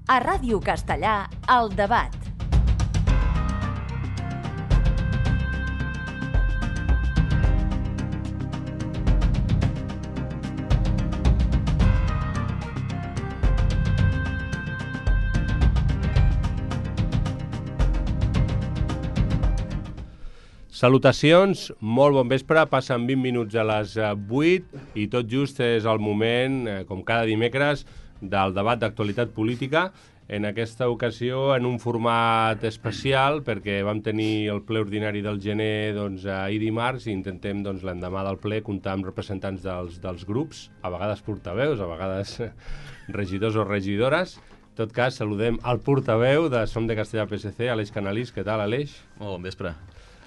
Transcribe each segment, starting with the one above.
A Ràdio Castellà, El Debat. Salutacions, molt bon vespre, passen 20 minuts a les 8 i tot just és el moment, com cada dimecres, del debat d'actualitat política. En aquesta ocasió en un format especial perquè vam tenir el ple ordinari del gener ahir dimarts i intentem l'endemà del ple comptar amb representants dels grups, a vegades portaveus, a vegades regidors o regidores. En tot cas, saludem al portaveu de Som de Castellà PSC, Aleix Canalís. Què tal, Aleix? Molt bon vespre.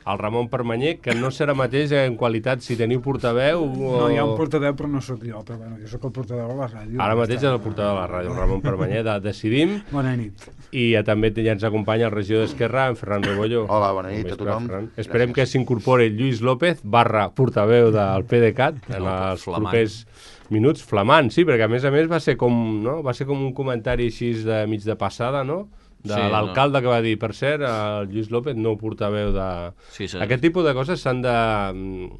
El Ramon Permanyer, que no serà mateix en qualitat si teniu portaveu o... No, hi ha un portaveu, però no sóc jo, però bueno, jo sóc el portaveu de la ràdio. Ara mateix és el portaveu de la ràdio, el Ramon Permanyer, de Decidim. Bona nit. I també ja ens acompanya el regidor d'Esquerra, en Ferran Rebollo. Hola, bona nit a tothom. Esperem que s'incorpori Lluís López, /portaveu del PDeCAT, en els propers minuts. Flamant, sí, perquè a més va ser com, no? Va ser com un comentari així de mig de passada, no? De sí, l'alcalde que va dir, per cert, el Lluís López, no portaveu de... Sí, aquest tipus de coses s'han de,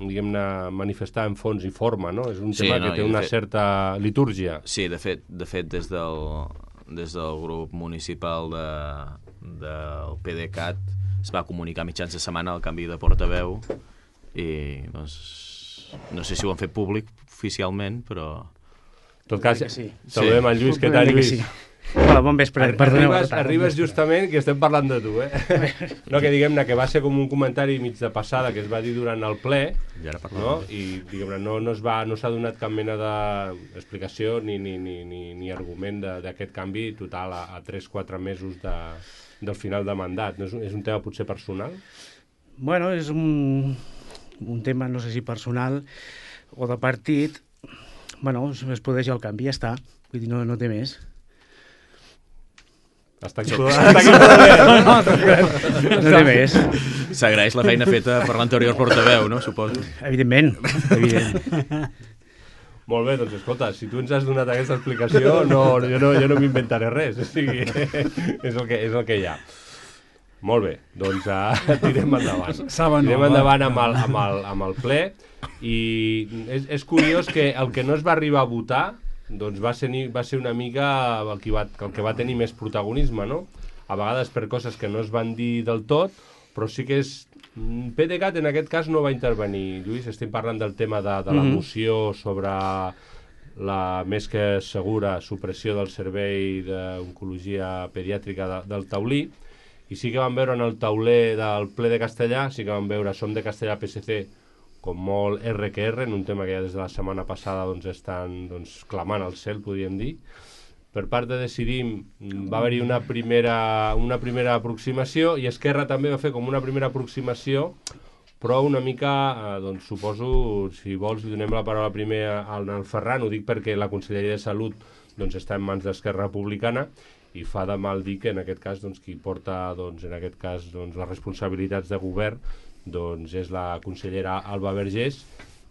diguem-ne, manifestar en fons i forma, no? És un tema que té una certa litúrgia. Sí, de fet des del grup municipal del PDeCAT es va comunicar mitjans de setmana el canvi de portaveu i, doncs, no sé si ho han fet públic oficialment, però... En tot cas, saludem el Lluís. Què tal, Lluís? Hola, bon vespre. Arribes justament que estem parlant de tu, No, que diguem-ne que va ser com un comentari mig de passada que es va dir durant el ple, no? I diguem-ne no s'ha donat cap mena d'explicació ni argument d'aquest canvi total a 3-4 mesos del final de mandat. No és un tema potser personal? Bueno, és un tema, no sé si personal o de partit. Bueno, es produeix el canvi, ja està. Vull dir, no té més. Està aquí no té més. S'agraeix la feina feta per l'anterior portaveu, no? Suposo. Evidentment. Molt bé, doncs escolta, si tu ens has donat aquesta explicació, jo no m'inventaré res. O sigui, és el que hi ha. Molt bé, doncs tirem endavant. Tirem endavant amb el ple. I és curiós que el que no es va arribar a votar doncs va ser una mica el que va tenir més protagonisme, no? A vegades per coses que no es van dir del tot, però sí que és... PDeCAT en aquest cas no va intervenir. Lluís, estem parlant del tema de la moció sobre la més que segura supressió del servei d'oncologia pediàtrica del Taulí, i sí que vam veure en el tauler del ple de Castellà, sí que vam veure Som de Castellà PSC com molt R que R, en un tema que ja des de la setmana passada estan clamant al cel, podríem dir. Per part de Decidim va haver-hi una primera aproximació i Esquerra també va fer com una primera aproximació, però una mica, suposo, si vols, li donem la paraula primer al Ferran. Ho dic perquè la Conselleria de Salut està en mans d'Esquerra Republicana i fa de mal dir que en aquest cas qui porta les responsabilitats de govern és la consellera Alba Vergés,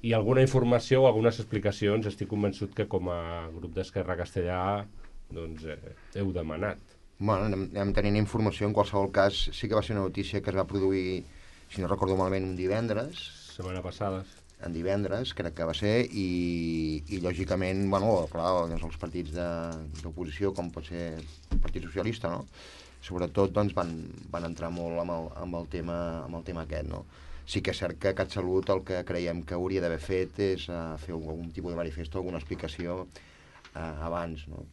i alguna informació o algunes explicacions estic convençut que com a grup d'Esquerra Castellà heu demanat. Bueno, anem tenint informació. En qualsevol cas, sí que va ser una notícia que es va produir, si no recordo malament, un divendres. Setmana passada. En divendres, crec que va ser, i lògicament, bueno, clar, els partits d'oposició, com pot ser el Partit Socialista, no? Sobretot van entrar molt amb el tema aquest, no? Sí que és cert que CatSalut el que creiem que hauria d'haver fet és fer algun tipus de manifest o alguna explicació abans, no?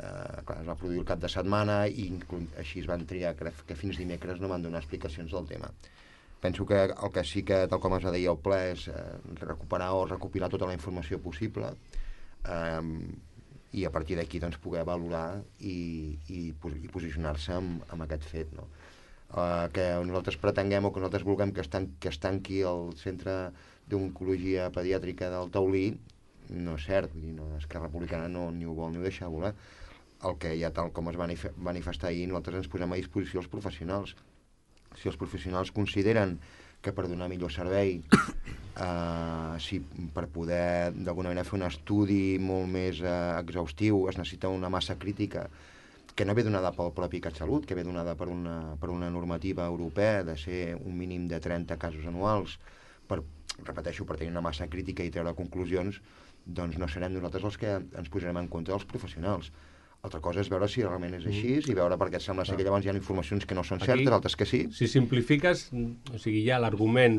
Clar, es va produir el cap de setmana i així es van triar, crec que fins dimecres no van donar explicacions del tema. Penso que el que sí que, tal com es va dir al ple, és recuperar o recopilar tota la informació possible i a partir d'aquí poder valorar i posicionar-se amb aquest fet, no? Que nosaltres pretenguem o que nosaltres vulguem que es tanqui el centre d'oncologia pediàtrica del Taulí no és cert. Vull dir, Esquerra Republicana ni ho vol ni ho deixa voler. El que ja, tal com es va manifestar ahir, nosaltres ens posem a disposició els professionals. Si els professionals consideren que per donar millor servei, si per poder d'alguna manera fer un estudi molt més exhaustiu es necessita una massa crítica que no ve donada pel propi CatSalut, que ve donada per una normativa europea de ser un mínim de 30 casos anuals repeteixo, per tenir una massa crítica i treure conclusions, doncs no serem nosaltres els que ens posarem en contra dels professionals. Altra cosa és veure si realment és així i veure perquè sembla ser que llavors hi ha informacions que no són certes, altres que sí. Si simplifiques, o sigui, hi ha l'argument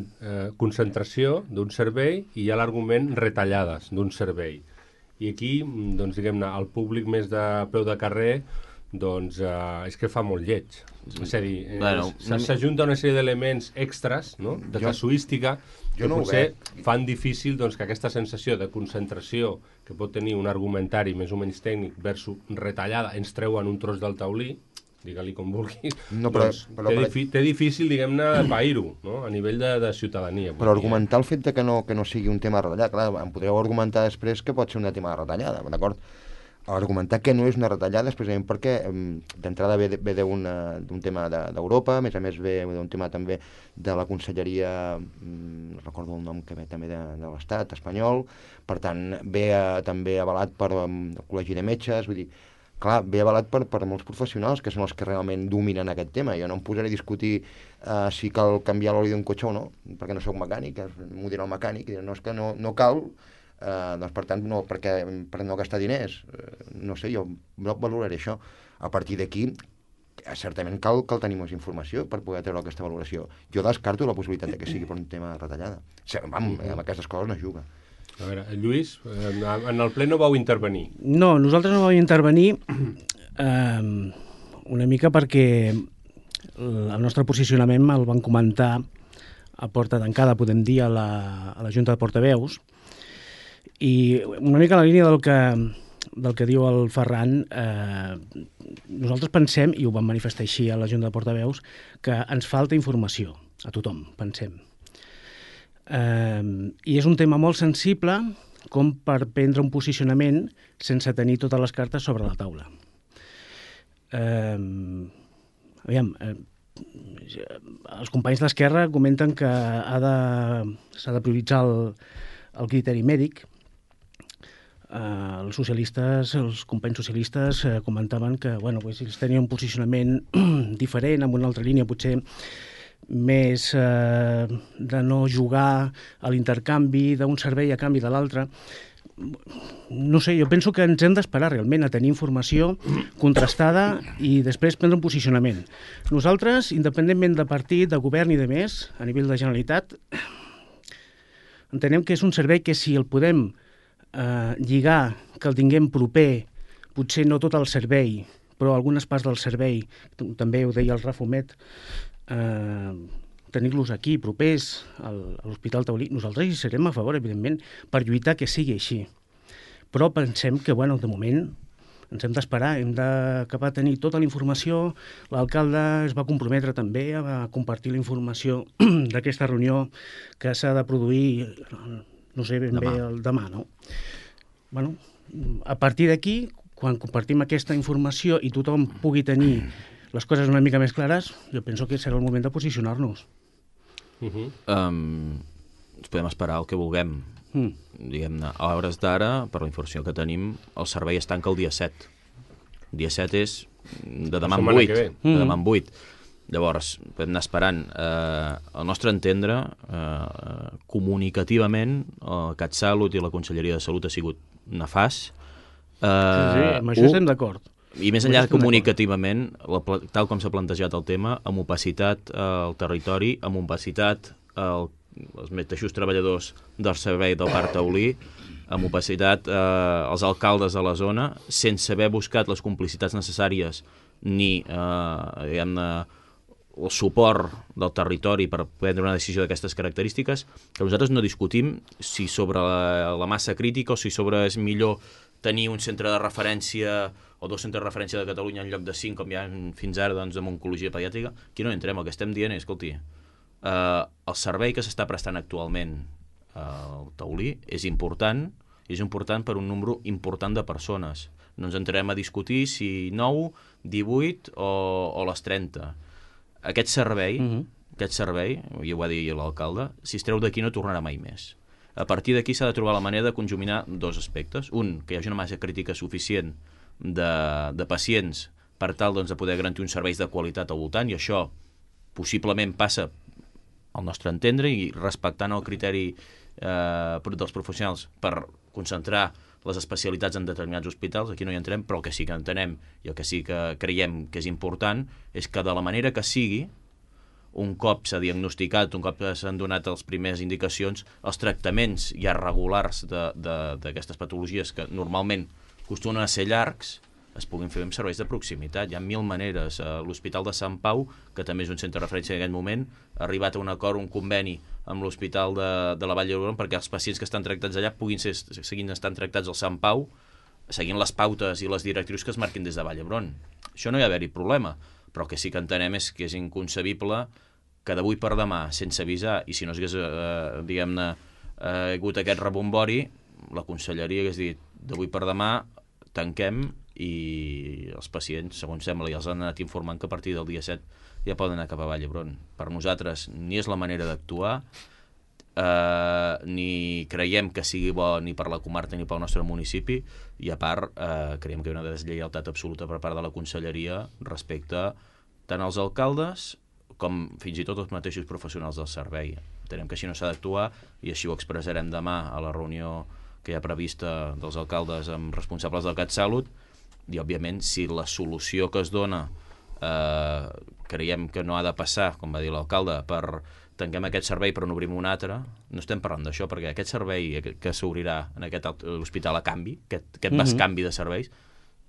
concentració d'un servei i hi ha l'argument retallades d'un servei. I aquí, doncs, diguem-ne, el públic més de peu de carrer doncs és que fa molt lleig. És a dir, s'ajunta una sèrie d'elements extras, no?, de casuística, que potser fan difícil doncs, que aquesta sensació de concentració que pot tenir un argumentari més o menys tècnic versus retallada, ens treuen un tros del taulí, digue-li com vulguis, té difícil, diguem-ne, pair-ho, no?, a nivell de ciutadania. Però argumentar el fet de que no sigui un tema de retallada, clar, em podríeu argumentar després que pot ser un tema de retallada, d'acord? Argumentar que no és una retallada és precisament perquè d'entrada ve d'un tema d'Europa, a més ve d'un tema també de la conselleria, no recordo el nom que ve també de l'Estat espanyol, per tant ve també avalat per el Col·legi de Metges, vull dir, clar, ve avalat per molts professionals que són els que realment dominen aquest tema. Jo no em posaré a discutir si cal canviar l'oli d'un cotxe o no, perquè no sóc mecànic, m'ho dirà el mecànic, i no, és que no cal. Doncs per tant, per no gastar diners, no sé, jo valoraré això. A partir d'aquí, certament cal tenir més informació per poder treure aquesta valoració. Jo descarto la possibilitat que sigui per un tema de retallada. Amb aquestes coses no es juga. A veure, Lluís, en el ple no vau intervenir. No, nosaltres no vam intervenir una mica perquè el nostre posicionament el van comentar a porta tancada, podem dir, a la Junta de Portaveus. I una mica a la línia del que diu el Ferran, nosaltres pensem, i ho vam manifestar així a la Junta de Portaveus, que ens falta informació, a tothom, pensem. I és un tema molt sensible com per prendre un posicionament sense tenir totes les cartes sobre la taula. Aviam, els companys d'Esquerra comenten que s'ha de prioritzar el criteri mèdic. Els companys socialistes comentaven que ells tenien un posicionament diferent, amb una altra línia potser més de no jugar a l'intercanvi d'un servei a canvi de l'altre. No sé, jo penso que ens hem d'esperar realment a tenir informació contrastada i després prendre un posicionament. Nosaltres, independentment de partit, de govern i de més, a nivell de Generalitat, entenem que és un servei que si el podem lligar, que el tinguem proper, potser no tot el servei, però algunes parts del servei, també ho deia el Rafomet, tenir-los aquí, propers a l'Hospital Taulí, nosaltres hi serem a favor, evidentment, per lluitar que sigui així. Però pensem que, de moment, ens hem d'esperar, hem d'acabar de tenir tota la informació. L'alcalde es va comprometre també a compartir la informació d'aquesta reunió que s'ha de produir, no sé ben bé, el demà, no? A partir d'aquí, quan compartim aquesta informació i tothom pugui tenir les coses una mica més clares, jo penso que serà el moment de posicionar-nos. Ens podem esperar el que vulguem. Diguem-ne, a hores d'ara, per la informació que tenim, el servei es tanca el dia 7. El dia 7 és de demà en 8. De demà en 8. Llavors, podem anar esperant. Al nostre entendre, comunicativament, el CatSalut i la Conselleria de Salut ha sigut nefast. Sí, amb això estem d'acord. I més enllà comunicativament, tal com s'ha plantejat el tema, amb opacitat al territori, amb opacitat als mateixos treballadors del servei del Parc Taulí, amb opacitat als alcaldes de la zona, sense haver buscat les complicitats necessàries ni el suport del territori per prendre una decisió d'aquestes característiques, que nosaltres no discutim si sobre la massa crítica o si sobre és millor tenir un centre de referència o 2 centres de referència de Catalunya en lloc de 5, com hi ha fins ara doncs, amb oncologia pediàtrica. Aquí no entrem, el que estem dient és, escolti, el servei que s'està prestant actualment al Taulí és important per un número important de persones. No ens entrarem a discutir si 9, 18 o les 30. Aquest servei, i ho va dir l'alcalde, si es treu d'aquí no tornarà mai més. A partir d'aquí s'ha de trobar la manera de conjuminar 2 aspectes. Un, que hi hagi una massa crítica suficient de pacients per tal doncs, de poder garantir uns serveis de qualitat al voltant, i això possiblement passa, al nostre entendre, i respectant el criteri dels professionals per concentrar les especialitats en determinats hospitals, aquí no hi entrem, però el que sí que entenem i el que sí que creiem que és important és que de la manera que sigui, un cop s'ha diagnosticat, un cop s'han donat les primeres indicacions, els tractaments ja regulars d'aquestes patologies que normalment acostumen a ser llargs, es puguin fer amb serveis de proximitat. Hi ha 1000 maneres. L'Hospital de Sant Pau, que també és un centre de referència en aquest moment, ha arribat a un acord, un conveni amb l'Hospital de la Vall d'Hebron perquè els pacients que estan tractats allà puguin seguint estant tractats al Sant Pau, seguint les pautes i les directrius que es marquin des de Vall d'Hebron. Això no hi ha d'haver-hi problema, però el que sí que entenem és que és inconcebible que d'avui per demà, sense avisar, i si no hagués, diguem-ne, hagut aquest rebombori, la conselleria hagués dit d'avui per demà tanquem i els pacients, segons sembla, ja els han anat informant que a partir del dia 7 ja poden anar cap a Vall d'Hebron. Per nosaltres ni és la manera d'actuar, ni creiem que sigui bo ni per la comarca ni pel nostre municipi, i a part creiem que hi ha una deslleialtat absoluta per part de la conselleria respecte tant als alcaldes com fins i tot els mateixos professionals del servei. Entenem que així no s'ha d'actuar i així ho expressarem demà a la reunió que hi ha prevista dels alcaldes amb responsables del CatSalut, i òbviament si la solució que es dona creiem que no ha de passar, com va dir l'alcalde, per tanquem aquest servei però n'obrim un altre, no estem parlant d'això, perquè aquest servei que s'obrirà en aquest hospital a canvi, aquest bescanvi de serveis,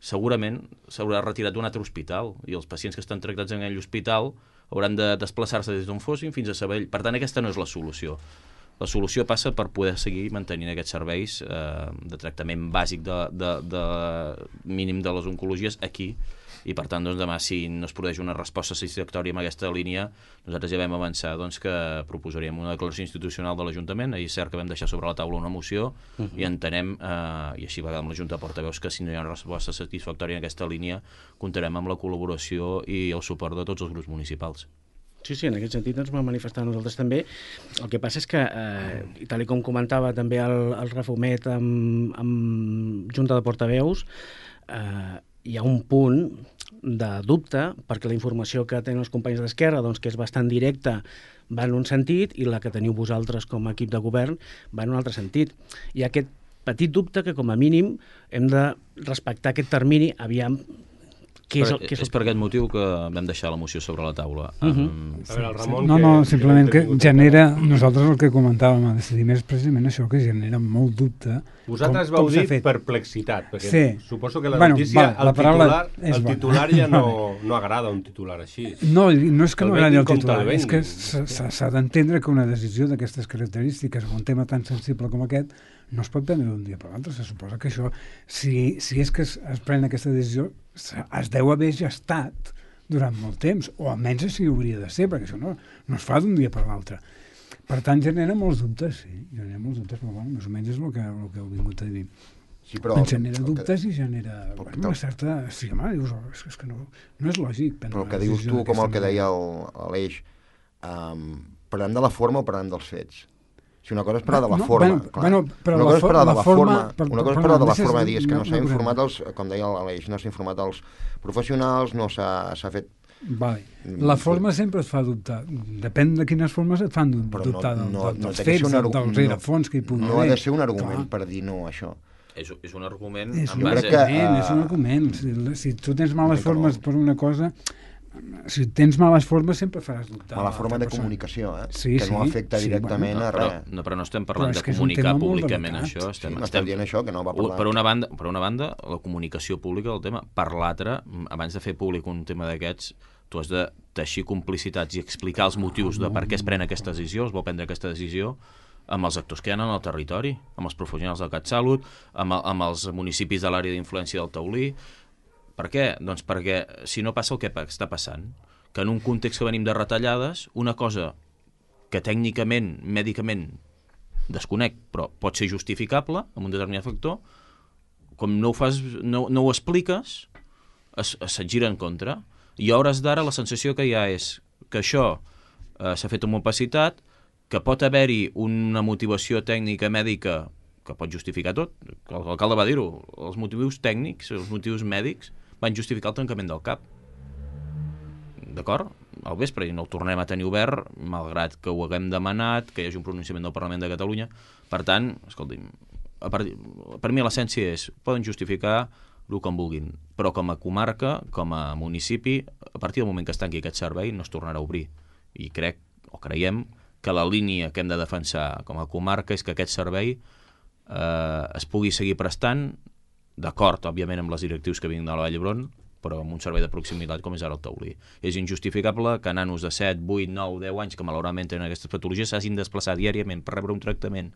segurament s'haurà retirat d'un altre hospital i els pacients que estan tractats en aquell hospital hauran de desplaçar-se des d'on fossin fins a Sabadell. Per tant, aquesta no és la solució. La solució passa per poder seguir mantenint aquests serveis de tractament bàsic de mínim de les oncologies aquí, i per tant doncs, demà si no es produeix una resposta satisfactòria en aquesta línia, nosaltres ja vam avançar doncs, que proposaríem una declaració institucional de l'Ajuntament. Ahir és cert que vam deixar sobre la taula una moció i entenem, i així va amb la Junta de Portaveus, que si no hi ha una resposta satisfactòria en aquesta línia comptarem amb la col·laboració i el suport de tots els grups municipals. Sí, en aquest sentit ens vam manifestar nosaltres també. El que passa és que, tal com comentava també el Rafumet amb Junta de Portaveus, hi ha un punt de dubte, perquè la informació que tenen els companys d'Esquerra, doncs, que és bastant directa, va en un sentit, i la que teniu vosaltres com a equip de govern va en un altre sentit. Hi ha aquest petit dubte que, com a mínim, hem de respectar aquest termini, aviam. És per aquest motiu que vam deixar la moció sobre la taula. A veure, el Ramon... No, simplement que genera... Nosaltres el que comentàvem a decidir més precisament això, que genera molt dubte. Vosaltres vau dir perplexitat, perquè suposo que la notícia, el titular ja no agrada un titular així. No és que no agradi el titular, és que s'ha d'entendre que una decisió d'aquestes característiques, un tema tan sensible com aquest, no es pot prendre d'un dia per l'altre. Se suposa que això, si és que es pren aquesta decisió, es deu haver gestat durant molt temps, o almenys així hauria de ser, perquè això no es fa d'un dia per l'altre. Per tant, genera molts dubtes, però bueno, més o menys és el que heu vingut a dir. Sí, però genera dubtes i genera una certa... Sí, home, dius, és que no és lògic. Però el que dius tu, com el que deia l'Eix, parlem de la forma o parlem dels fets? Si una cosa és parlar de la forma, una cosa és parlar de la forma, dir, és que no s'ha informat com deia l'Aleix, no s'ha informat els professionals, no s'ha fet... Vale. La forma sempre et fa dubtar. Depèn de quines formes et fan dubtar dels fets, del rerefons que hi pugui haver. No ha de ser un argument per dir no a això. És un argument... És un argument. Si tu tens males formes per una cosa... Si tens males formes sempre faràs dubtar. Mala forma de comunicació, que no afecta directament a res. Però no estem parlant de comunicar públicament això. Estem dient això, que no va parlar. Per una banda, la comunicació pública del tema. Per l'altra, abans de fer públic un tema d'aquests, tu has de teixir complicitats i explicar els motius de per què es pren aquesta decisió, es vol prendre aquesta decisió, amb els actors que hi ha en el territori, amb els professionals del CatSalut, amb els municipis de l'àrea d'influència del Taulí. Per què? Doncs perquè si no passa el que està passant, que en un context que venim de retallades, una cosa que tècnicament, mèdicament, desconec, però pot ser justificable amb un determinat factor, com no ho expliques, se't gira en contra. I a hores d'ara la sensació que hi ha és que això s'ha fet amb opacitat, que pot haver-hi una motivació tècnica mèdica que pot justificar tot. L'alcalde va dir-ho, els motius tècnics, els motius mèdics, van justificar el tancament del CAP. D'acord? Al vespre, i no el tornem a tenir obert, malgrat que ho haguem demanat, que hi hagi un pronunciament del Parlament de Catalunya. Per tant, escolti'm, per mi l'essència és, poden justificar el que en vulguin, però com a comarca, com a municipi, a partir del moment que es tanqui aquest servei no es tornarà a obrir. I creiem que la línia que hem de defensar com a comarca és que aquest servei es pugui seguir prestant, d'acord, òbviament, amb les directius que vinguin de la Vall d'Hebron, però amb un servei de proximitat com és ara el taulí. És injustificable que nanos de 7, 8, 9, 10 anys que malauradament tenen aquestes patologies s'hagin de desplaçar diàriament per rebre un tractament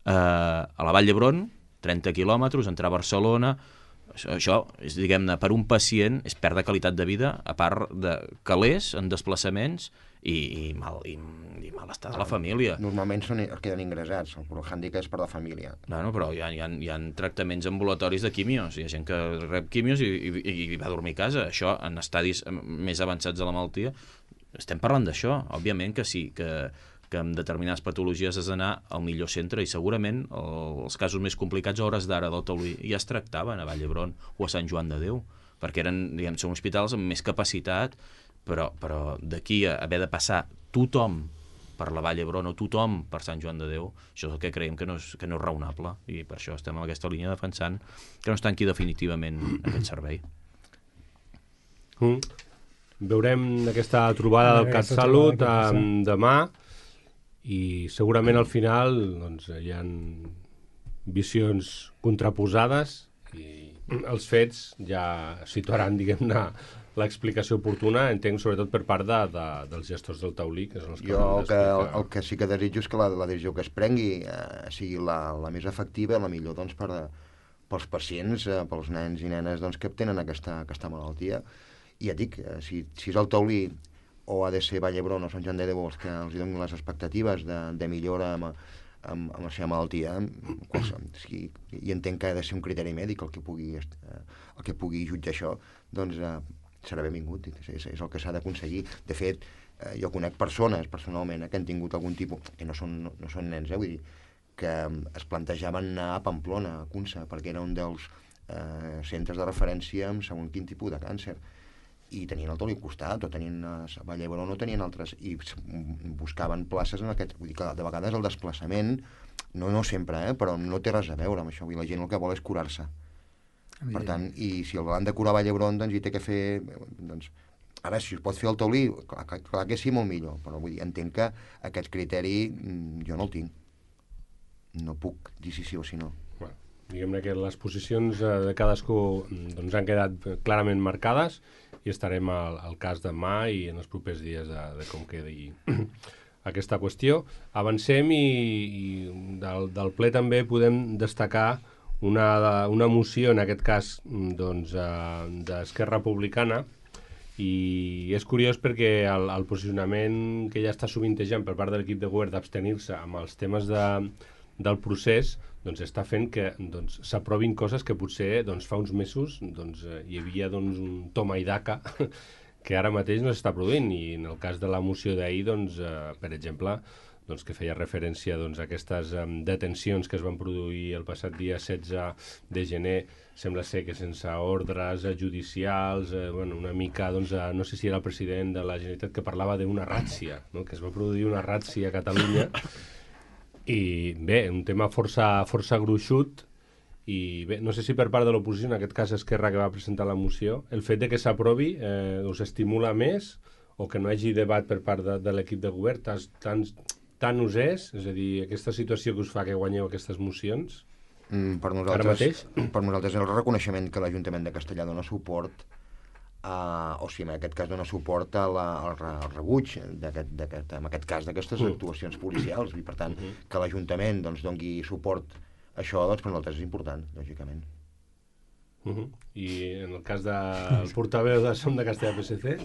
a la Vall d'Hebron, 30 quilòmetres, entrar a Barcelona. Això és, diguem-ne, per un pacient és perdre qualitat de vida, a part de calés en desplaçaments i malestar de la família. Normalment queden ingressats, el hàndicap és per la família. Bueno, però hi ha tractaments ambulatoris de quimios, hi ha gent que rep quimios i va a dormir a casa. Això, en estadis més avançats de la malaltia, estem parlant d'això. Òbviament que sí, que amb determinades patologies has d'anar al millor centre, i segurament els casos més complicats a hores d'ara del taulí ja es tractaven a Vall d'Hebron o a Sant Joan de Déu, perquè eren, són hospitals amb més capacitat, però d'aquí a haver de passar tothom per la Vall d'Hebron o tothom per Sant Joan de Déu, això és el que creiem que no és raonable, i per això estem en aquesta línia defensant que no es tanqui definitivament aquest servei. Veurem aquesta trobada del CatSalut demà, i segurament al final doncs, hi ha visions contraposades i els fets ja situaran, diguem-ne, l'explicació oportuna, entenc, sobretot per part dels gestors del taulí, que són els que... Jo el que sí que desitjo és que la decisió que es prengui sigui la més efectiva, la millor doncs, pels pacients, pels nens i nenes doncs, que tenen aquesta malaltia. I ja dic, si és el taulí o ha de ser Vall d'Hebron o Sant Joan de Déu els que els donin les expectatives de millora amb la seva malaltia, i entenc que ha de ser un criteri mèdic el que pugui jutjar això, doncs serà benvingut, és el que s'ha d'aconseguir. De fet, jo conec persones personalment que han tingut algun tipus, que no són nens, vull dir, que es plantejaven anar a Pamplona, a Cunsa, perquè era un dels centres de referència amb segon quin tipus de càncer, i tenien el taulí al costat, o tenien a Vall d'Hebron, no tenien altres, i buscaven places en aquest... Vull dir que de vegades el desplaçament, no sempre, però no té res a veure amb això. Vull dir, la gent el que vol és curar-se. Per tant, i si el van de curar a Vall d'Hebron, doncs hi té que fer... Doncs, ara, si es pot fer el taulí, clar que sí, molt millor, però vull dir, entenc que aquest criteri jo no el tinc. No puc dir si sí o si no. Bueno, diguem-ne que les posicions de cadascú doncs, han quedat clarament marcades, i estarem al cas demà i en els propers dies de com quedi aquesta qüestió. Avancem i del ple també podem destacar una moció, en aquest cas doncs, d'Esquerra Republicana, i és curiós perquè el posicionament que ja està sovintejant per part de l'equip de govern d'abstenir-se amb els temes del procés doncs està fent que s'aprovin coses que potser fa uns mesos hi havia un toma i daca que ara mateix no s'està produint, i en el cas de la moció d'ahir, per exemple, que feia referència a aquestes detencions que es van produir el passat dia 16 de gener, sembla ser que sense ordres judicials, una mica, no sé si era el president de la Generalitat que parlava d'una ràtzia, no? Que es va produir una ràtzia a Catalunya. I bé, un tema força gruixut, i bé, no sé si per part de l'oposició, en aquest cas Esquerra, que va presentar la moció, el fet de que s'aprovi us estimula més, o que no hi hagi debat per part de l'equip de govern, tant us és a dir, aquesta situació que us fa que guanyeu aquestes mocions, per nosaltres és el reconeixement que l'Ajuntament de Castellar dona suport o sigui, en aquest cas dona suport al rebuig en aquest cas d'aquestes actuacions policials, i per tant que l'Ajuntament doni suport a això, per nosaltres és important, lògicament. I en el cas del portaveu de Som de Castellar PSC?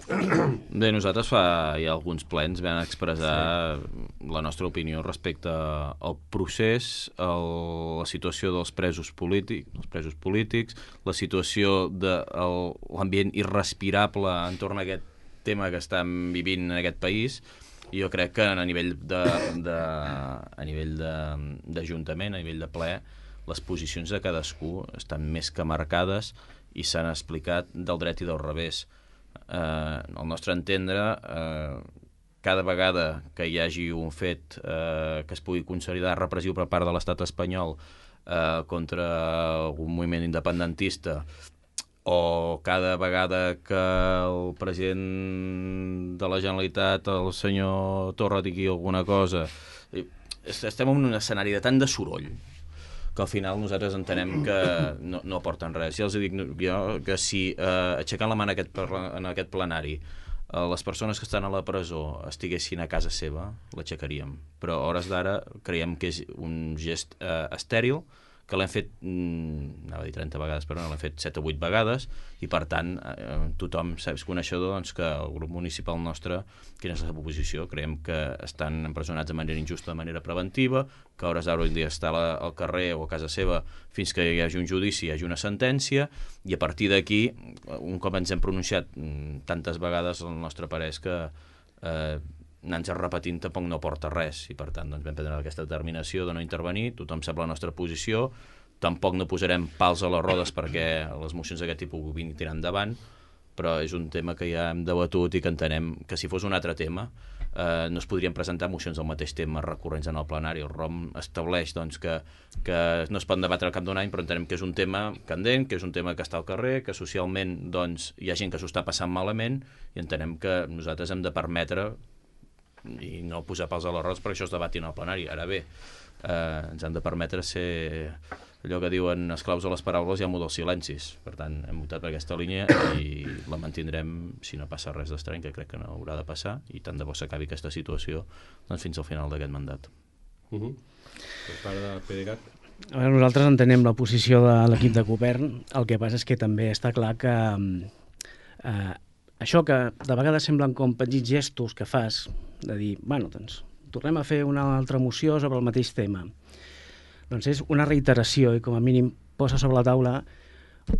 Bé, nosaltres hi ha alguns plens vam expressar la nostra opinió respecte al procés, la situació dels presos polítics, la situació de l'ambient irrespirable entorn a aquest tema que estem vivint en aquest país. I jo crec que a nivell d'Ajuntament, a nivell de ple, les posicions de cadascú estan més que marcades, i s'han explicat del dret i del revés. Al nostre entendre, cada vegada que hi hagi un fet que es pugui considerar repressiu per part de l'estat espanyol contra un moviment independentista, o cada vegada que el president de la Generalitat, el senyor Torra, digui alguna cosa, estem en un escenari de tant de soroll que al final nosaltres entenem que no aporten res. Ja els dic jo que si aixecant la mà en aquest plenari les persones que estan a la presó estiguessin a casa seva, l'aixecaríem. Però a hores d'ara creiem que és un gest estèril, que l'hem fet, anava a dir 30 vegades, però no, l'hem fet 7 o 8 vegades, i per tant tothom és coneixedor doncs, que el grup municipal nostre, quina és la seva posició, creiem que estan empresonats de manera injusta, de manera preventiva, que a hores d'ara hauria d'estar al carrer o a casa seva fins que hi hagi un judici, hi hagi una sentència, i a partir d'aquí, un cop ens hem pronunciat tantes vegades, el nostre parer és que anar-nos repetint tampoc no porta res, i per tant doncs, vam prendre aquesta determinació de no intervenir, tothom sap la nostra posició, tampoc no posarem pals a les rodes perquè les mocions d'aquest tipus vinguin tirant endavant, però és un tema que ja hem debatut i que entenem que si fos un altre tema no es podrien presentar mocions del mateix tema recurrents en el plenari. El ROM estableix doncs, que no es pot debatre al cap d'un any, però entenem que és un tema candent, que és un tema que està al carrer, que socialment doncs, hi ha gent que s'ho està passant malament, i entenem que nosaltres hem de permetre i no posar pals a les rodes perquè això es debati en el plenari. Ara bé, ens han de permetre ser allò que diuen esclaus a les paraules i amo dels silencis. Per tant, hem votat per aquesta línia i la mantindrem si no passa res d'estrany, que crec que no haurà de passar, i tant de bo s'acabi aquesta situació doncs, fins al final d'aquest mandat. Per part de PDeCAT? A veure, nosaltres entenem la posició de l'equip de govern. El que passa és que també està clar que això que de vegades semblen com petits gestos que fas, de dir, bueno, doncs, tornem a fer una altra moció sobre el mateix tema. Doncs és una reiteració i com a mínim posa sobre la taula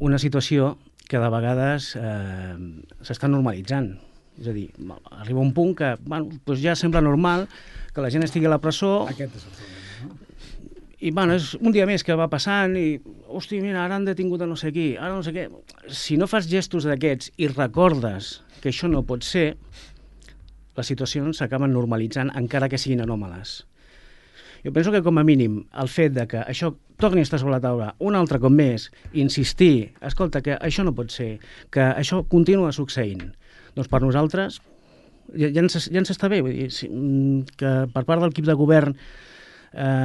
una situació que de vegades s'està normalitzant. És a dir, arriba un punt que bueno, doncs ja sembla normal que la gent estigui a la presó. Aquest és el problema, no? I bueno, és un dia més que va passant i, hosti, mira, ara han detingut a no sé qui, ara no sé què. Si no fas gestos d'aquests i recordes que això no pot ser, les situacions s'acaben normalitzant encara que siguin anòmales. Jo penso que com a mínim el fet de que això torni a estar sobre la taula un altre cop més, insistir, escolta, que això no pot ser, que això continua succeint, doncs per nosaltres ja ens està bé, vull dir, que per part de l'equip de govern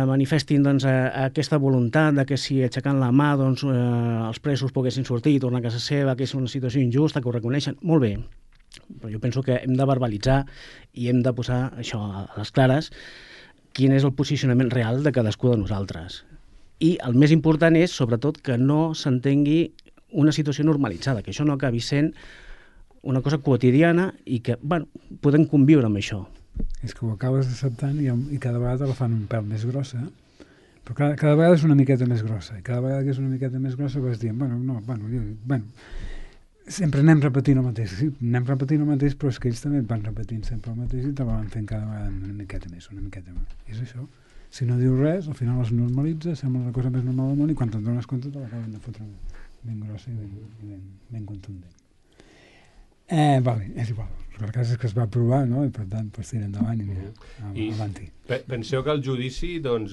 manifestin doncs, aquesta voluntat de que si aixecant la mà doncs, els presos poguessin sortir i tornar a casa seva, que és una situació injusta, que ho reconeixen, molt bé. Però jo penso que hem de verbalitzar i hem de posar això a les clares, quin és el posicionament real de cadascú de nosaltres. I el més important és, sobretot, que no s'entengui una situació normalitzada, que això no acabi sent una cosa quotidiana i que, bueno, podem conviure amb això. És que ho acabes acceptant i cada vegada la fan un pèl més grossa, però cada vegada és una miqueta més grossa, i cada vegada que és una miqueta més grossa vas dient, sempre anem repetint el mateix, sí, anem repetint el mateix, però és que ells també van repetint sempre el mateix i te van fent cada vegada una miqueta més. I és això. Si no dius res, al final es normalitza, sembla la cosa més normal del món i quan te'n dones compte te l'acaben de fotre ben grossa i ben contundent. Vale, és igual. El cas és que es va aprovar, no? I per tant, pues, tira endavant i mira, avanti. Penseu que el judici doncs,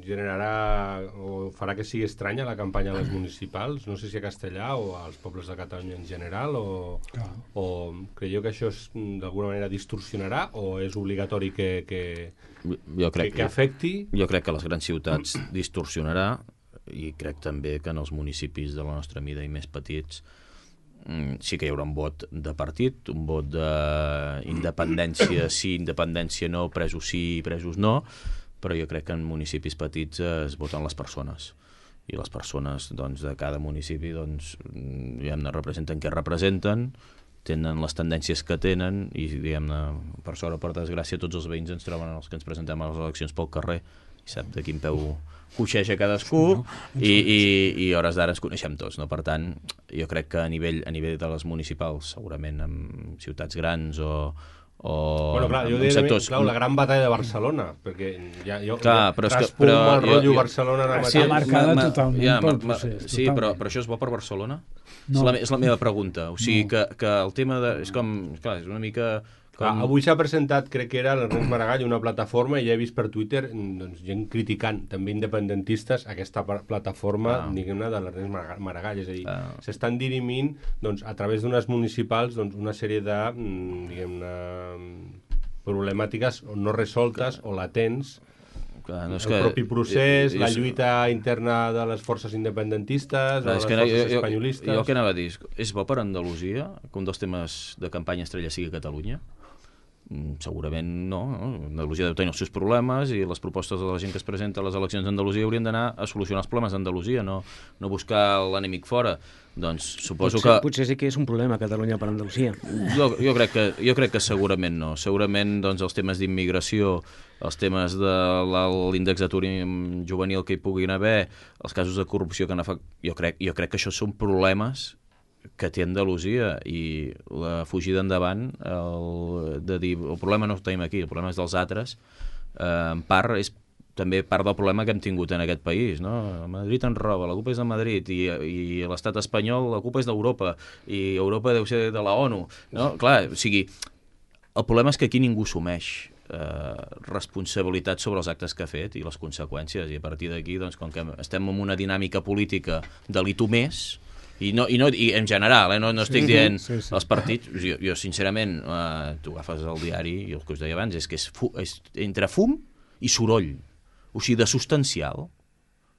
generarà o farà que sigui estranya la campanya a les municipals, no sé si a Castellà o als pobles de Catalunya en general, o creieu que això d'alguna manera distorsionarà o és obligatori que afecti? Jo crec que a les grans ciutats distorsionarà i crec també que en els municipis de la nostra mida i més petits sí que hi haurà un vot de partit, un vot d'independència sí, independència no, presos sí, presos no, però jo crec que en municipis petits es voten les persones i les persones doncs, de cada municipi doncs, representen què representen, tenen les tendències que tenen i diguem-ne, per sort o per desgràcia tots els veïns ens troben els que ens presentem a les eleccions pel carrer i sap de quin peu coixeja cadascú i a hores d'ara ens coneixem tots, no? Per tant, jo crec que a nivell de les municipals, segurament en ciutats grans o Bueno, clar, jo diria, clar, la gran batalla de Barcelona, perquè ja jo però el rotllo Barcelona ara mateix. Sí, marcada totalment pel procés. Sí, però això és bo per Barcelona? No. És la meva pregunta. O sigui, que el tema de... És com... Clar, és una mica... Avui s'ha presentat, crec que era l'Ernest Maragall, una plataforma, i ja he vist per Twitter doncs, gent criticant, també independentistes, aquesta plataforma, diguem-ne, de l'Ernest Maragall. És a dir, s'estan dirimint, doncs, a través d'unes municipals, doncs, una sèrie de, diguem-ne, problemàtiques no resoltes o latents, el propi procés, la lluita interna de les forces independentistes, o les forces espanyolistes... Jo el que anava a dir, és bo per Andalusia que un dels temes de campanya estrella sigui Catalunya? Segurament no. Andalusia deu tenir els seus problemes i les propostes de la gent que es presenta a les eleccions d'Andalusia haurien d'anar a solucionar els problemes d'Andalusia, no buscar l'enemic fora. Doncs suposo que... Potser sí que és un problema Catalunya per Andalusia. Jo crec que segurament no. Segurament doncs, els temes d'immigració, els temes de l'índex d'atur juvenil que hi puguin haver, els casos de corrupció que han afectat... Jo crec que això són problemes que té Andalusia, i la fugida endavant de dir el problema no el tenim aquí, el problema és dels altres, en part és també part del problema que hem tingut en aquest país, no? Madrid ens roba, la culpa és de Madrid, i l'estat espanyol, la culpa és d'Europa, i Europa deu ser de la ONU, no? Clar, o sigui, el problema és que aquí ningú assumeix responsabilitat sobre els actes que ha fet i les conseqüències, i a partir d'aquí, doncs, com que estem en una dinàmica política de l'I tu més, i en general, no estic dient els partits, jo sincerament, tu agafes el diari i el que us deia abans és que és entre fum i soroll, o sigui, de substancial.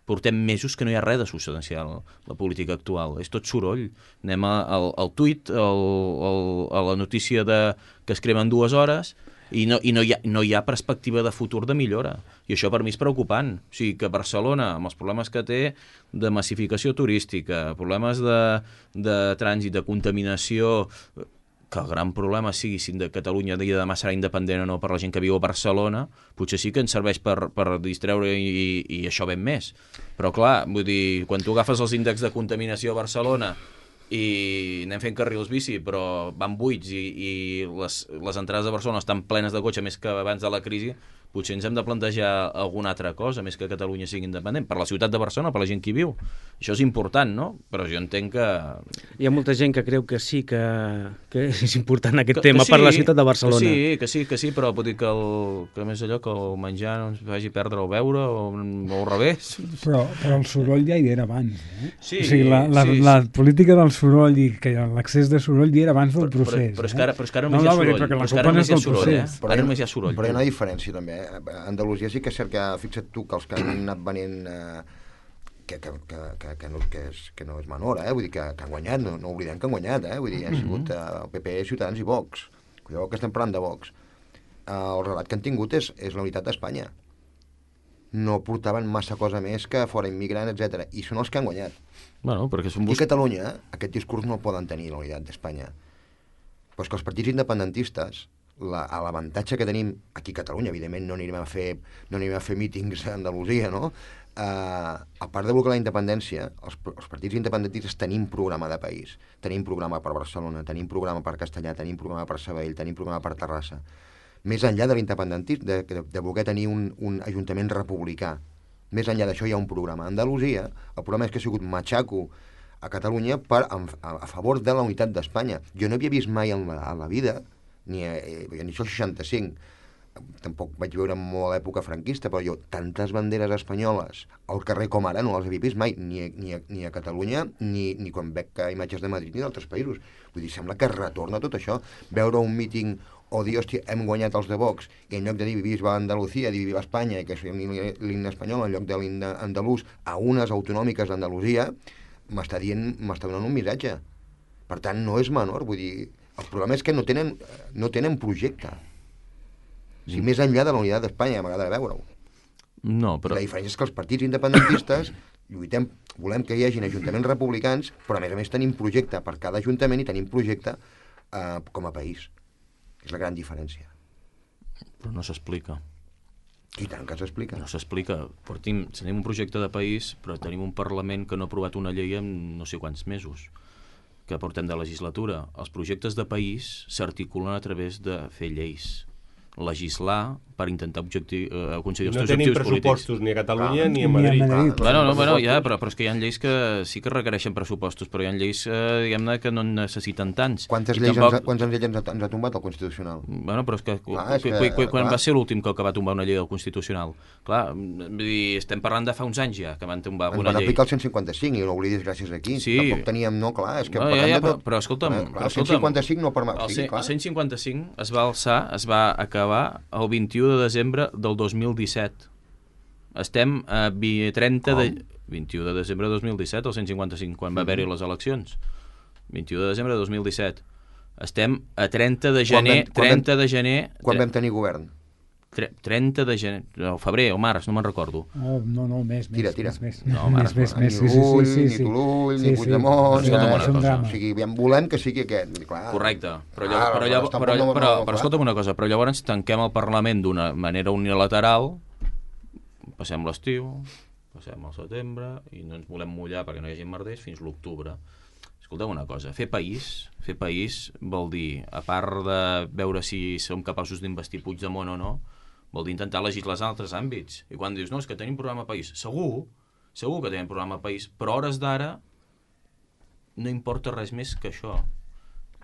Portem mesos que no hi ha res de substancial la política actual, és tot soroll. Anem al tuit, a la notícia que es cremen 2 hores, i no hi ha perspectiva de futur de millora, i això per mi és preocupant. O sigui, que Barcelona, amb els problemes que té de massificació turística, problemes de trànsit, de contaminació, que el gran problema sigui si de Catalunya dia de demà serà independent o no per la gent que viu a Barcelona, potser sí que ens serveix per distreure i això ben més. Però clar, vull dir, quan tu agafes els índexs de contaminació a Barcelona i anem fent carrils bici, però van buits i les entrades de Barcelona estan plenes de cotxe més que abans de la crisi, potser ens hem de plantejar alguna altra cosa, més que Catalunya sigui independent, per la ciutat de Barcelona, per la gent que hi viu. Això és important, no? Però jo entenc que... Hi ha molta gent que creu que sí, que és important aquest tema per la ciutat de Barcelona. Que sí, però vull dir que més allò que el menjar no ens faci perdre el beure o al revés. Però el soroll ja hi era abans, eh? Sí, o sigui, la política del soroll i que l'accés de soroll hi era abans del procés. Però és que ara només hi ha soroll. Ara només hi ha soroll. Però hi ha una diferència, també. A Andalusia sí que és cert que, fixa't tu, que els que han anat venint que no és menor, vull dir que han guanyat, no oblidem que han guanyat, vull dir, ha sigut el PP, Ciutadans i Vox. Cuidao que estem parlant de Vox. El relat que han tingut és la unitat d'Espanya. No portaven massa cosa més que fora immigrant, etc. I són els que han guanyat. Bueno, perquè I a Catalunya aquest discurs no el poden tenir, la unitat d'Espanya. Però és que els partits independentistes, l'avantatge que tenim aquí a Catalunya, evidentment no anirem a fer mítings a Andalusia, no? A part de bloquejar la independència, els partits independentistes tenim programa de país, tenim programa per Barcelona, tenim programa per Castellà, tenim programa per Sabadell, tenim programa per Terrassa. Més enllà de l'independentisme, de voler tenir un ajuntament republicà, més enllà d'això hi ha un programa. A Andalusia, el programa és que ha sigut matxaco a Catalunya a favor de la unitat d'Espanya. Jo no havia vist mai a la vida, ni això 65, tampoc vaig veure molt a l'època franquista, però jo tantes banderes espanyoles al carrer com ara no les havia vist mai, ni a Catalunya, ni quan veig imatges de Madrid ni d'altres països. Vull dir, sembla que retorna tot això. Veure un míting o dir, hòstia, hem guanyat els de Vox, i en lloc de dir viva Andalucía, dir viva Espanya, i que és l'himne espanyol en lloc de l'himne andalús, a unes autonòmiques d'Andalusia, m'està donant un missatge. Per tant, no és menor, vull dir, el problema és que no tenen projecte. O sigui, més enllà de la unitat d'Espanya, m'agrada veure-ho. No, però... La diferència és que els partits independentistes volem que hi hagin ajuntaments republicans, però a més tenim projecte per cada ajuntament i tenim projecte com a país. És la gran diferència. Però no s'explica. I tant que s'explica. No s'explica. Tenim un projecte de país, però tenim un Parlament que no ha aprovat una llei en no sé quants mesos. que portem de legislatura. Els projectes de país s'articulen a través de fer lleis, legislar per intentar aconseguir els teus objectius polítics. No tenim pressupostos ni a Catalunya ni a Madrid. Però és que hi ha lleis que sí que requereixen pressupostos, però hi ha lleis, diguem-ne, que no necessiten tants. Quants lleis ens ha tombat el Constitucional? Bueno, però és que quan va ser l'últim que va tombar una llei del Constitucional? Clar, vull dir, estem parlant de fa uns anys ja que van tombar una llei. Ens van aplicar el 155 i no oblidis gràcies aquí. Sí. Tampoc teníem, no, clar, és que... Però escolta'm... El 155 no permet... El 155 es va alçar, es va acabar el 21 de desembre del 2017. Estem a 30 de... 21 de desembre de 2017, el 155, quan va haver-hi les eleccions. 21 de desembre de 2017. Estem a 30 de gener... Quan vam tenir govern? 30 de gener... O febrer o març, no me'n recordo. No, més. Tira. Més. No, més. Ni Turull, ni Puigdemont... O sigui, volem que sigui aquest. Correcte. Però escolta'm una cosa, però llavors tanquem el Parlament d'una manera unilateral, passem l'estiu, passem el setembre i no ens volem mullar perquè no hi hagi merders fins l'octubre. Escolteu una cosa, fer país vol dir, a part de veure si som capaços d'investir Puigdemont o no, vol dir intentar legislar en altres àmbits. I quan dius, no, és que tenim programa país, segur que tenim programa país, però a hores d'ara no importa res més que això.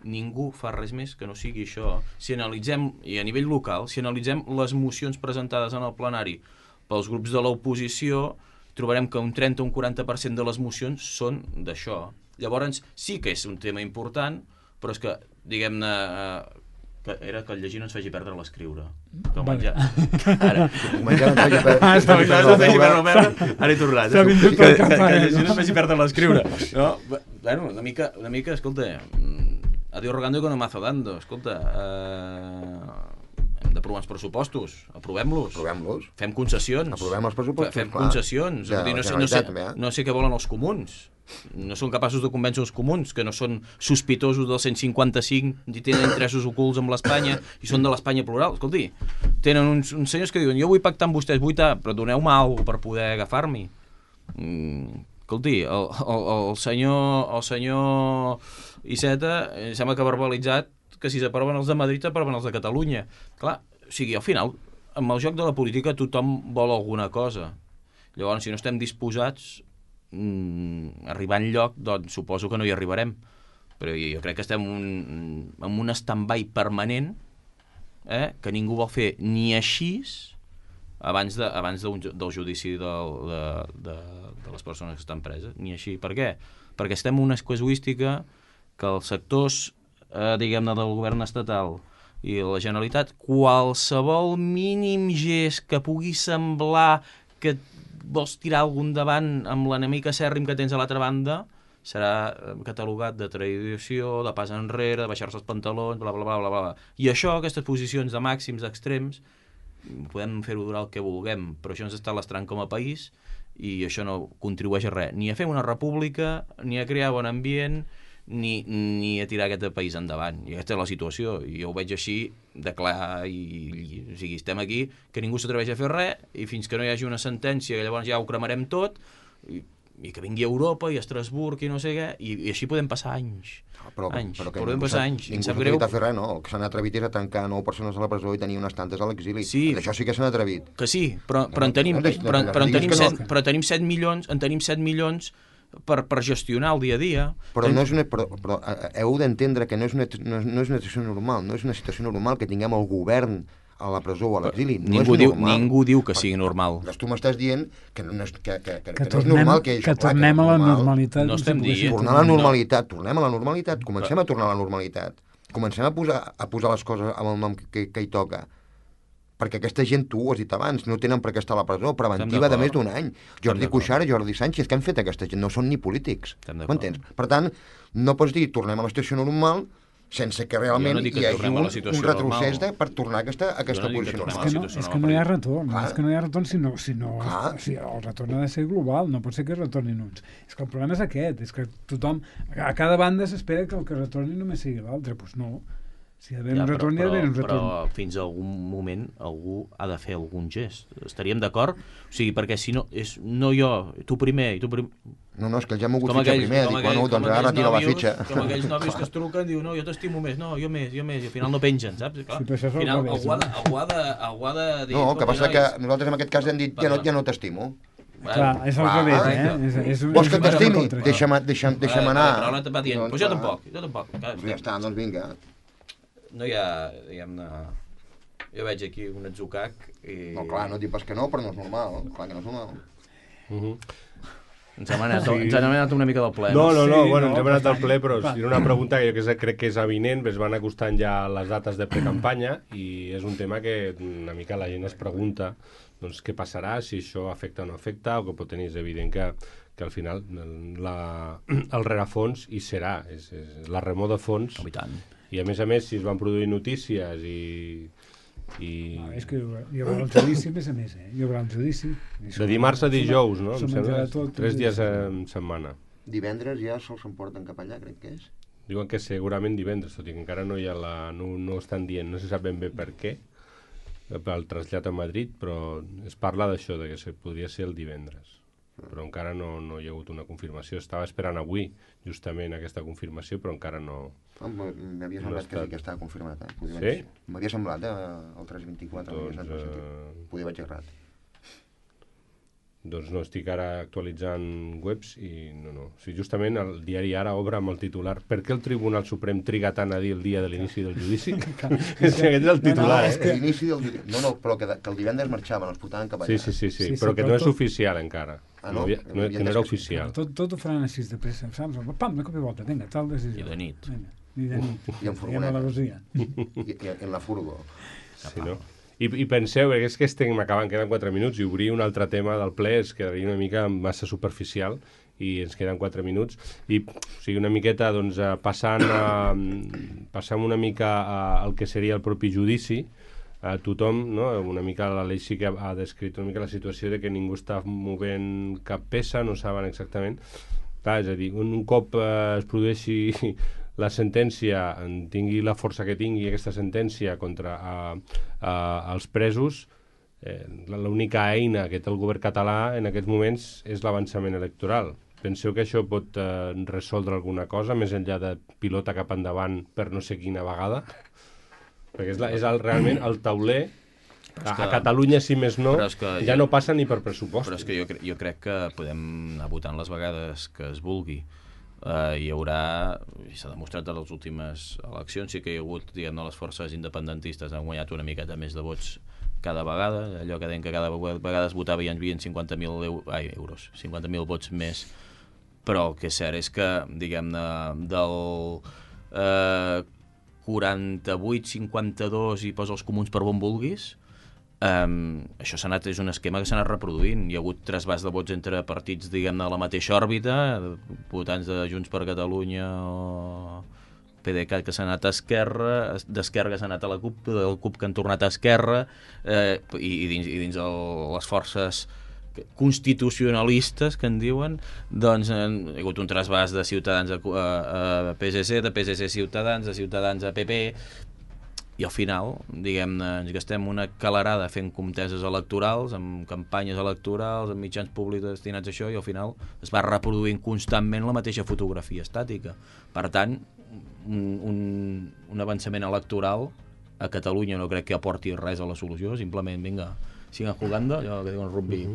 Ningú fa res més que no sigui això. Si analitzem, i a nivell local, si analitzem les mocions presentades en el plenari pels grups de l'oposició, trobarem que un 30 o un 40% de les mocions són d'això. Llavors sí que és un tema important, però és que, diguem-ne, que era que el llegir no ens faci perdre l'escriure. Que el menjar... Ara... Ara he tornat. Que el llegir no ens faci perdre l'escriure. No? Bueno, una mica, escolta, adiós rogando que no mazo dando. Escolta, hem d'aprovar els pressupostos, aprovem-los. Fem concessions. Aprovem els pressupostos, Fem concessions. No sé què volen els comuns. No són capaços de convèncer els comuns, que no són sospitosos del 155 i tenen interessos ocults amb l'Espanya i són de l'Espanya plural. Escolti, tenen uns senyors que diuen, jo vull pactar amb vostès, però doneu-me alguna cosa per poder agafar-m'hi. Escolti, el senyor Iceta sembla que ha verbalitzat que si s'aproven els de Madrid s'aproven els de Catalunya. Clar, o sigui, al final, amb el joc de la política tothom vol alguna cosa. Llavors, si no estem disposats arribar enlloc, doncs suposo que no hi arribarem. Però jo crec que estem en un stand-by permanent que ningú vol fer ni així abans del judici de les persones que estan preses, ni així. Per què? Perquè estem en una casuística que els sectors diguem-ne del govern estatal i la Generalitat, qualsevol mínim gest que pugui semblar que vols tirar algun davant amb l'enemic acèrrim que tens a l'altra banda, serà catalogat de traïció, de pas enrere, de baixar-se els pantalons, bla, bla, bla, bla, bla. I això, aquestes posicions de màxims, d'extrems, podem fer-ho durar el que vulguem, però això ens està lastrant com a país i això no contribueix a res, ni a fer una república, ni a crear bon ambient, ni a tirar aquest país endavant. I aquesta és la situació, i jo ho veig així de clar, o sigui, estem aquí que ningú s'atreveix a fer res, i fins que no hi hagi una sentència, llavors ja ho cremarem tot, i que vingui a Europa i a Estrasburg i no sé què, i així podem passar anys. Podem passar anys. Ningú s'ha atrevit a fer res, no? El que s'han atrevit és a tancar 9 persones a la presó i tenir unes tantes a l'exili. Sí, això sí que s'han atrevit. Que sí, però en tenim 7 milions per gestionar el dia a dia. Però heu d'entendre que no és una situació normal, no és una situació normal que tinguem el govern a la presó o a l'exili. Ningú diu que sigui normal. Tu m'estàs dient que no és normal que tornem a la normalitat. No estem dient. Tornem a la normalitat, comencem a tornar a la normalitat. Comencem a posar les coses amb el nom que hi toca. Perquè aquesta gent, tu ho has dit abans, no tenen per què estar a la presó, preventiva de més d'un any. Jordi Cuixart, Jordi Sánchez, què han fet aquesta gent? No són ni polítics. M'entens? Per tant, no pots dir tornem a la situació normal sense que realment hi hagi un retrocés per tornar a aquesta posició normal. És que no hi ha retorn. És que no hi ha retorn si el retorn ha de ser global. No pot ser que retornin uns. És que el problema és aquest. És que tothom, a cada banda s'espera que el que retorni només sigui l'altre. Doncs no. Si hi ha d'haver un retorn, hi ha d'haver un retorn. Però fins a algun moment algú ha de fer algun gest. Estaríem d'acord? O sigui, perquè si no, és no jo, tu primer, i tu primer... No, és que ja m'ho vull fitxar primer. Dic, bueno, doncs ara retira la fitxa. Com aquells nòvios que es truquen, diu, no, jo t'estimo més, no, jo més, i al final no pengen, saps? Clar, Sí, al final algú ha de dir... No, el que passa que nosaltres en aquest cas hem dit, ja no t'estimo. Clar, és al revés, Vols que t'estimi? Deixa'm anar. Però ara va dient, jo tampoc. Ja està, doncs vinga. No hi ha, diguem-ne... Jo veig aquí un atzucac i... No, clar, no et dic pas que no, però no és normal. Clar que no és normal. Ens hem anat una mica del ple. No, bueno, ens hem anat del ple, però era una pregunta que jo crec que és evident, es van acostant ja les dates de precampanya i és un tema que una mica la gent es pregunta doncs què passarà, si això afecta o no afecta, o que pot tenir, és evident que al final el rerefons hi serà, és la remor de fons. I tant. I a més, si es van produir notícies i... És que hi haurà un judici, a més, hi haurà un judici. De dimarts a dijous, no? Em sembla, 3 dies en setmana. Divendres ja se'ls emporten cap allà, crec que és. Diuen que segurament divendres, tot i que encara no hi ha no estan dient, no se sap ben bé per què, pel trasllat a Madrid, però es parla d'això, de que podria ser el divendres. Però encara no hi ha hagut una confirmació. Estava esperant avui, justament, aquesta confirmació, però encara no... M'havia semblat que sí que estava confirmat. Sí? M'havia semblat, el 324. Podia vaig errat. Doncs no, estic ara actualitzant webs i no. O sigui, justament el diari Ara obre amb el titular «Per què el Tribunal Suprem triga tant a dir el dia de l'inici del judici?» Aquest és el titular, L'inici del judici. No, però que el divendres marxaven, els portaven cap allà. Sí, però que no és oficial encara. No? Que no era oficial. Tot ho faran així de pressa, saps? Pam, de cop i volta, vinga, tal decisió. I de nit. I de nit. I en furgoneta. I en la furgo. Sí, no? I penseu, perquè és que queden 4 minuts i obrir un altre tema del ple es quedaria una mica massa superficial i ens queden 4 minuts i o sigui, una miqueta doncs, passant una mica al que seria el propi judici. Tothom, no? Una mica l'Aleix sí que ha descrit una mica la situació de que ningú està movent cap peça, no saben exactament. Clar, és a dir, un cop es produeixi la sentència, tingui la força que tingui aquesta sentència contra els presos, l'única eina que té el govern català en aquests moments és l'avançament electoral. Penseu que això pot resoldre alguna cosa, més enllà de pilota cap endavant per no sé quina vegada? Perquè és realment el tauler. A Catalunya, si més no, ja no passa ni per pressupost. Però és que jo crec que podem anar votant les vegades que es vulgui. Hi haurà, i s'ha demostrat en les últimes eleccions, sí que hi ha hagut, diguem-ne, les forces independentistes han guanyat una miqueta més de vots cada vegada, allò que deien que cada vegada es votava i ens havien 50.000 euros, 50.000 vots més, però el que és cert és que, diguem-ne, del 48, 52 i posa els comuns per on vulguis, això és un esquema que s'ha anat reproduint. Hi ha hagut trasbàs de vots entre partits, diguem-ne, de la mateixa òrbita, votants de Junts per Catalunya o PDeCAT que s'ha anat a Esquerra, d'Esquerra que s'ha anat a la CUP, del CUP que han tornat a Esquerra, i dins les forces constitucionalistes que en diuen, doncs hi ha hagut un trasbàs de Ciutadans a PSC, de PSC a Ciutadans, de Ciutadans a PP, i al final, diguem-ne, ens gastem una calarada fent conteses electorals, amb campanyes electorals, amb mitjans públics destinats a això, i al final es va reproduint constantment la mateixa fotografia estàtica. Per tant, un avançament electoral a Catalunya no crec que aporti res a la solució, simplement, vinga, sigan jugando, allò que diuen rugby,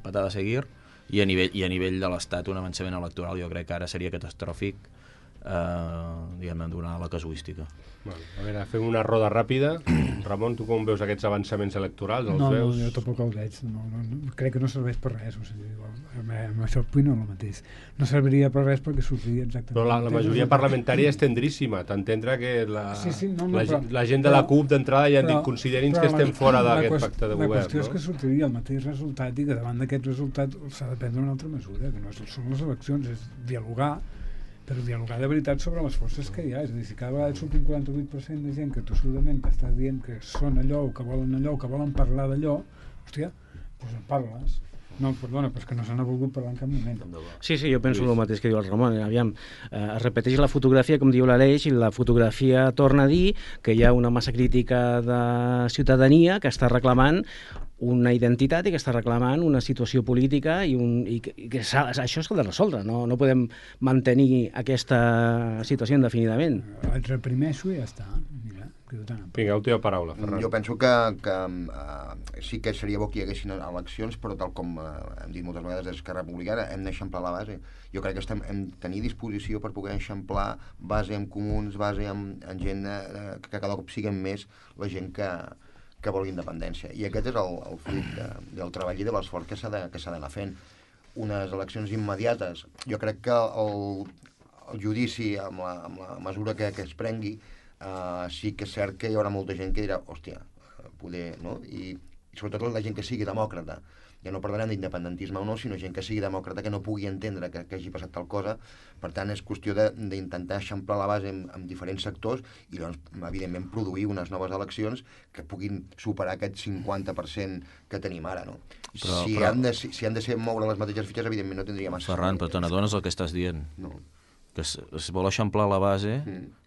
patada a seguir, i a nivell de l'Estat un avançament electoral jo crec que ara seria catastròfic, diguem-ne, donar la casuística. Bueno, a veure, fem una roda ràpida. Ramon, tu com veus aquests avançaments electorals? Els veus? No, jo tampoc els veig. Crec que no serveix per res. O sigui, amb això opino el mateix. No serviria per res perquè sortiria exactament... Però la majoria parlamentària és tendríssima. T'entendre que la gent de la CUP d'entrada ja han dit considerin que estem fora d'aquest pacte de govern. La qüestió és que sortiria el mateix resultat i que davant d'aquest resultat s'ha de prendre una altra mesura, que no són les eleccions, és dialogar, però dialogar de veritat sobre les forces que hi ha. És a dir, si cada vegada surt un 48% de gent que tossudament t'està dient que són allò, que volen parlar d'allò, hòstia, doncs en parles. No, perdona, però és que no se n'ha volgut parlar en cap moment. Sí, jo penso el mateix que diu el Ramon. Aviam, es repeteix la fotografia, com diu l'Aleix, i la fotografia torna a dir que hi ha una massa crítica de ciutadania que està reclamant una identitat i que està reclamant una situació política i que això s'ha de resoldre. No podem mantenir aquesta situació indefinidament. Et reprimeixo i ja està. Mira, vinga, última paraula, Ferran. Jo penso que sí que seria bo que hi haguessin eleccions, però tal com hem dit moltes vegades des d'Esquerra Republicana, hem d'eixamplar la base. Jo crec que hem de tenir disposició per poder eixamplar base amb comuns, base amb gent que cada cop siguen més la gent que vol independència. I aquest és el fruit del treball i de l'esforç que s'ha d'anar fent. Unes eleccions immediates. Jo crec que el judici, amb la mesura que es prengui, sí que és cert que hi haurà molta gent que dirà, hòstia, poder, no? I sobretot la gent que sigui demòcrata. Ja no parlarem d'independentisme o no, sinó gent que sigui demòcrata, que no pugui entendre que hagi passat tal cosa. Per tant, és qüestió d'intentar eixamplar la base amb diferents sectors i, doncs, evidentment, produir unes noves eleccions que puguin superar aquest 50% que tenim ara, no? Si han de ser moure les mateixes fitxes, evidentment no tindria massa... Ferran, però te n'adones el que estàs dient? No. Que es vol eixamplar la base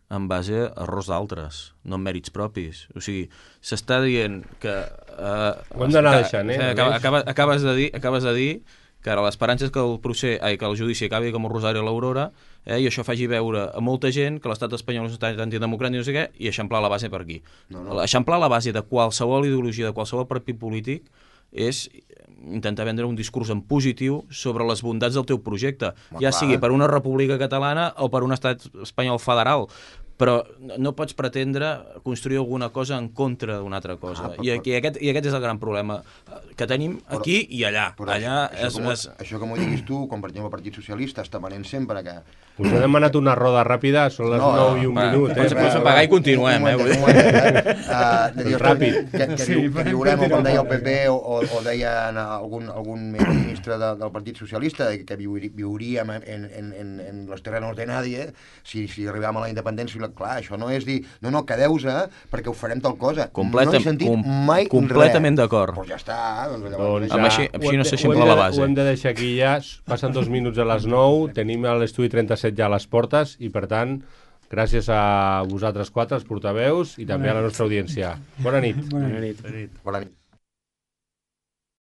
en base a errors d'altres, no en mèrits propis. O sigui, s'està dient que... Ho hem d'anar deixant, Acabes de dir que ara l'esperança és que el judici acabi com el Rosari a l'Aurora, i això faci veure a molta gent que l'estat espanyol és antidemocràtic i no sé què, i eixamplar la base per aquí. No. Eixamplar la base de qualsevol ideologia, de qualsevol partit polític, és intentar vendre un discurs en positiu sobre les bondats del teu projecte, sigui per una república catalana o per un estat espanyol federal, però no pots pretendre construir alguna cosa en contra d'una altra cosa. I aquest és el gran problema que tenim aquí i allà. Això que m'ho diguis tu, quan per exemple el Partit Socialista està venent sempre que... Us he demanat una roda ràpida, són les 9 i un minut. Pots apagar i continuem. Ràpid. Que viurem, com deia el PP o deia algun ministre del Partit Socialista, que viuríem en los terrenos de nadie si arribàvem a la independència. Clar, això no és dir, no, quedeu-vos perquè ho farem tal cosa. No he sentit mai completament d'acord. Doncs ja està. Així no s'eixampla la base. Ho hem de deixar aquí ja. Passen 2 minuts a les 9. Tenim l'estudi 37 ja a les portes i, per tant, gràcies a vosaltres 4, els portaveus, i també a la nostra audiència. Bona nit. Bona nit. Bona nit.